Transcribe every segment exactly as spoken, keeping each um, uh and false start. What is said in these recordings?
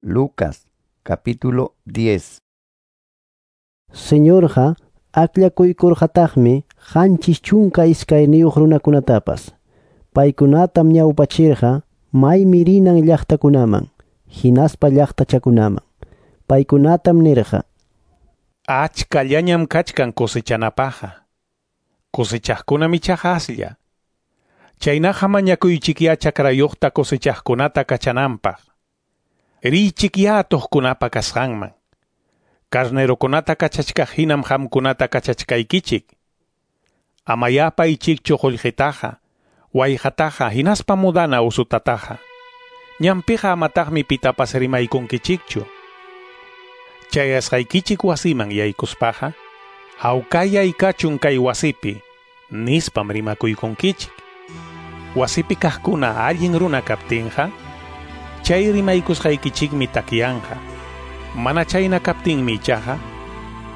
Lucas capítulo diez. Señorqa akllakuykurqataqmi qanchis chunka iskayniyuq runakunatapas. Paykunatam ñawpachirqa maymi rinan llaqtakunaman, hinaspa llaqtachakunaman. Paykunatam nirqa: Achkallañam kachkan cosechanapaqqa. Cosechaqkunam ichaqa aslla. Chaynaqa mañakuychikya chakrayuqta cosechaqkunata kachananpaq. Riychikya atuqkunapa kasqanman. Carnerokunata kachachkaq hinam qamkunata kachachkaykichik. Amayá paychikchu qullqitaqa, wayqataqa hinaspa mudana usutataqa. Ñanpiqa amataqmi pitapas rimaykunkichikchu. Chayasqaykichik wasiman yaykuspaqa, hawkayay kachun kay wasipi, nispam rimakuykunkichik. Wasipi kaqkuna allin runa kaptinqa, chay rimaykusqaykichikmi takyanqa. Mana chayna kaptinmi ichaqa,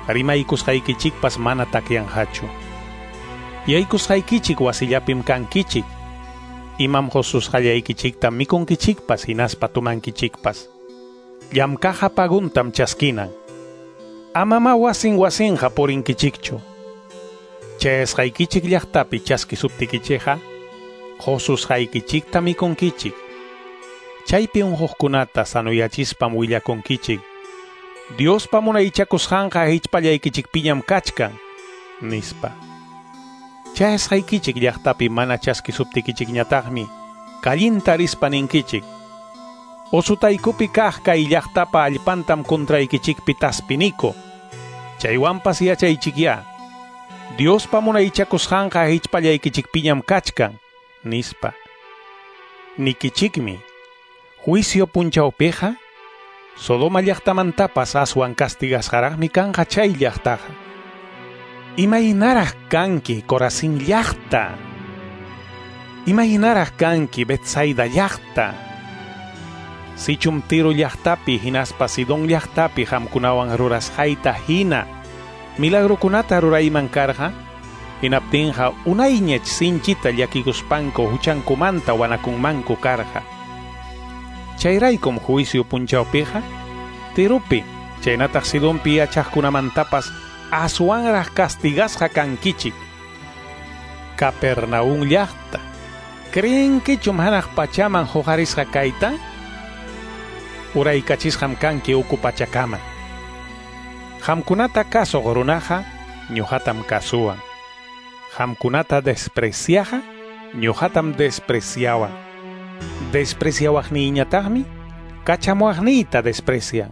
rimaykusqaykichikpas mana takyanqachu. Yaykusqaykichik wasillapim kankichik. Imam qususqallaykichikta mikunkichikpas hinaspa tumankichikpas. Llamkaqqa paguntam chaskinan. Amama wasin wasinqa purinkichikchu. Chayasqaykichik llaqtapi chaskisuptikichikqa, qususqaykichikta mikunkichik. Chaypi unquqkunata sanoyachispam willakunkichik. Diospa munaychakusqanqa hichpallaykichikpiñam kachkan, nispa. Chayasqaykichik llaqtapi mana chaskisuptikichikñataqmi kallinta rispa ninkichik. Usutaykupi kaq kay llaqtapa allpantam contraykichikpi taspiniku. Chaywanpas yachaychikyá. Diospa munaychakusqanqa hichpallaykichikpiñam kachkan, nispa. Nikichikmi, juicio punchawpiqa, Sodoma llaqtamantapas aswan castigasqaraqmi kanqa chay llaqtaqa. Imaynaraq kanki Corazín llaqta. Imaynaraq kanki Betsaida llaqta. Sichum Tiro llaqtapi hinaspa Sidón llaqtapi qamkunawan rurasqayta hina milagrokunata rurayman karqa, hinaptinqa unayñach sinchita llakikuspanku huchankumanta wanakunmanku karqa. Chayraykum juicio punchawpiqa, Tiropi, chaynataq Sidonpi yachaqkunamantapas aswanraq castigasqa kankichik. Capernaum llaqta, ¿creenkichum hanaq pachaman huqarisqa kayta? Uraykachisqam kanki uku pachakama. Qamkunata kasuq runaqa ñuqatam kasuwan. Qamkunata despreciaqa ñuqatam despreciawan. Despreciawaqniyñataqmi kachamuwaqniyta desprecian.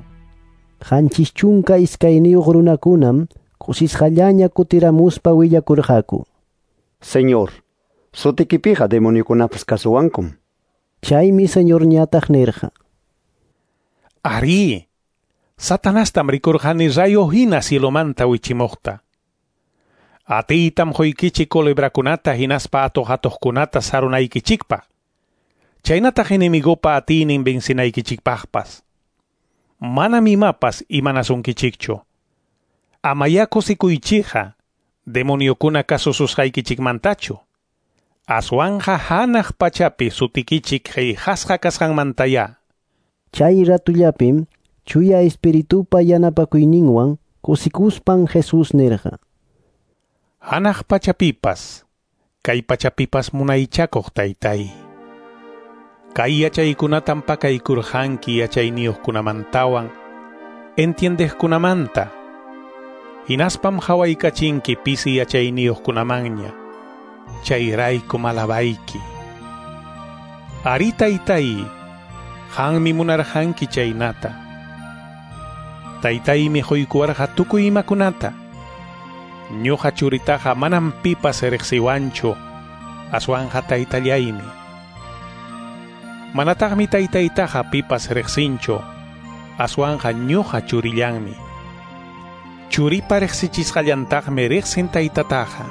Qanchis chunka iskayniyuq runakunam kusisqallaña kutiramuspa willakurqaku. Señor, sutikipiqa demoniokunapas kasuwankum. Chaymi Señorñataq nirqa: Arí, Satanastam rikurqani rayo hina cielomanta wichimuqta. Atiytam quykichik culebrakunata hinaspa atuq-atuqkunata sarunaykichikpaq. Chaynataq enemigopa atiynin vencinaykichikpaqpas. Manam imapas imanasunkichikchu. Amayá kusikuychikqa demoniokuna kasususqaykichikmantachu. Aswanqa hanaq pachapi sutikichik qillqasqa kasqanmantayá. Chay ratullapim Chuya Espiritupa yanapakuyninwan kusikuspan Jesús nirqa: Hanaq pachapipas, kay pachapipas munaychakuq taytay. Kay yachaykunatam pakaykurqanki yachayniyuqkunamantawan, entiendeqkunamanta. Hinaspam hawaykachinki pisi yachayniyuqkunamanña. Chayraykum alabayki. Ari taytay, qanmi munarqanki chaynata. Taytaymi quykuwarqa tukuy imakunata. Ñuqa churitaqa manam pipas riqsiwanchu, aswanqa taytallaymi. Manataqmi taytaytaqa pipas riqsinchu, aswanqa ñuqa churillanmi. Churipa riqsichisqallantaqmi riqsin taytataqa.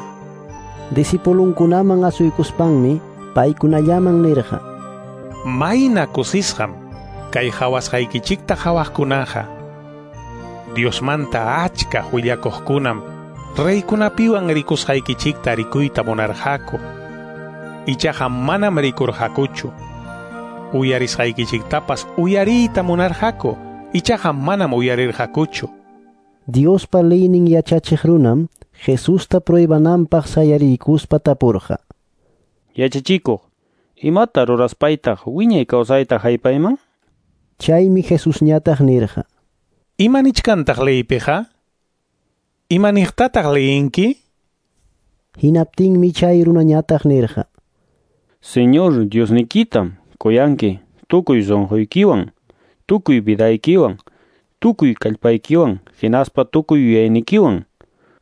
Discipulunkunaman asuykuspanmi paykunallaman nirqa: Mayna kusisqam kay hawasqaykichikta hawaqkunaqa. Diosmanta achka willakuqkunam reykunapiwan rikusqaykichikta rikuyta munarqaku. Ichaqa manam rikurqakuchu. Uyarisqaykichiktapas uyariyta munarqaku, ichaqa manam uyarirqakuchu. Diospa leynin yachachiq runam Jesusta pruebananpaq sayariykuspa tapurqa. Yachachikuq, imata ruraspaytaq wiñay kawsayta haypayman? Chaymi Jesusñataq nirqa. Ima nichkantaq leypiqa? Ima niqtataq leyinki? Hinaptinmi chay runañataq nirqa. Señor Diosnikitam kuyanki tukuy sunquykiwan, tukuy vidaykiwan, tukuy kallpaykiwan, hinaspa tukuy yuyaynikiwan.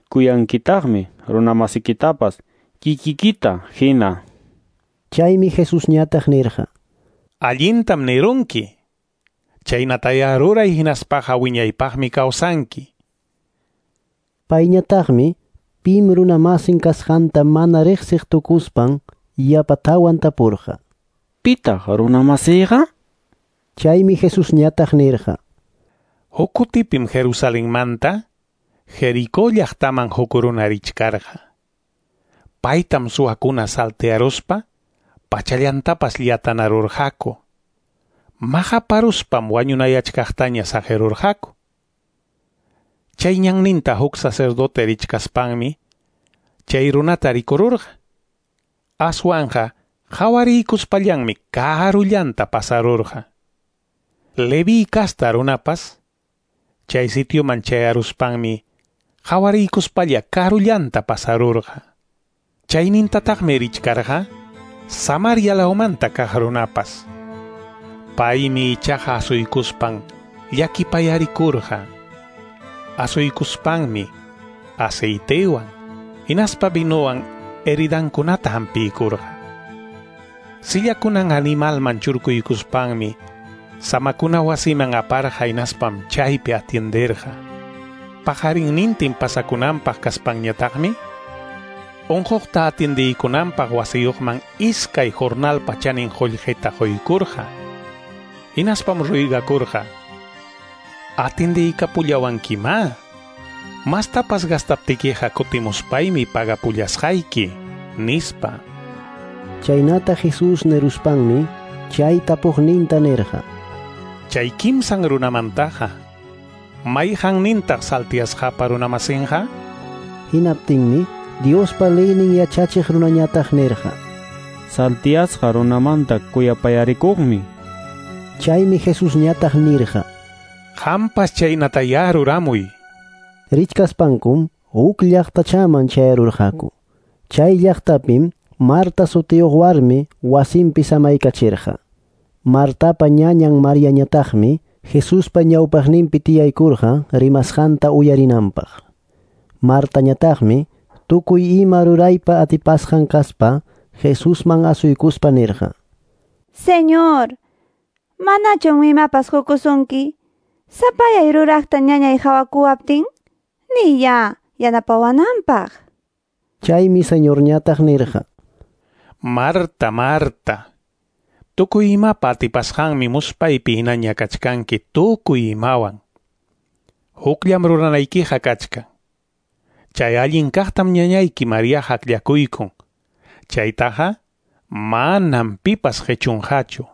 Kuyankitaqmi runamasikitapas kikikita hina. Chaymi Jesusñataq nirqa. Allintam nirunki. Chaynataya ruray hinaspaqa wiñaypaqmi kawsanki. Payñataqmi pim runamasin kasqanta mana riqsiq tukuspan yapatawan tapurqa. Pitaq runamasiyqa? Chaymi Jesusñataq nirqa. Huk kutipim Jerusalenmanta Jericó llaqtaman huk runa richkarqa. Paytam suwakuna saltearuspa pachallantapas llatanarurqaku. Maqaparuspam wañunayachkaqtaña saqirurqaku. Chay ñanninta huk sacerdote richkaspanmi chay runata rikururqa. Aswanqa qawariykuspallanmi karullanta pasarurqa. Leví kasta runapas chay sitioman chayaruspanmi qawariykuspalla karullanta pasarurqa. Chaynintataqmi richkarqa Samaria lawmanta kaq runapas. Paymi ichaqa asuykuspan llakipayarikurqa. Asuykuspanmi aceitewan hinaspa vinowan heridankunata hampiykurqa. Sillakunan animalman churkuykuspanmi samakuna wasiman aparqa hinaspam chaypi atienderqa. Pajarinnintin pasakunanpaq kaspanñataqmi unquqta atiendiykunanpaq wasiyuqman iskay jornalpa chanin qullqita quykurqa. Hinaspam ruygakurqa. Atiendiykapullawankimá. Mastapas gastaptikiqa kutimuspaymi pagapullasqayki, nispa. Chaynata Jesús niruspanmi chay tapuqninta nirqa. Chay kimsan runamantaqa, mayqannintaq saltiasqapa runamasinqa? Hinaptinmi Diospa leynin yachachiq runañataq nirqa. Saltiasqa runamanta kuyapayarikuqmi. Chaymi Jesusñataq nirqa. Qampas chaynatayá ruramuy. Richkaspankum huk llaqtachaman chayarurqaku. Chay llaqtapim Marta sutiyuq warmi wasinpi samaykachirqa. Martapa ñañan Mariañataqmi Jesuspa ñawpaqninpi tiyaykurqa rimasqanta uyarinanpaq. Martañataqmi tukuy ima ruraypa atipasqan kaspa Jesusman asuykuspa nirqa. Señor, manachum imapas qukusunki? Sapayay ruraqta ñañay hawakuwaptin, niya yanapawananpaq. Chaymi Señorñataq nirqa. Marta, Marta, tukuy imapa atipasqanmi muspaypi hinaña kachkanki tukuy imawan. Hukllam ruranaykiqa kachkan. Chay allin kaqtam ñañayki Mariaqa akllakuykun. Chaytaqa manam pipas qichunqachu.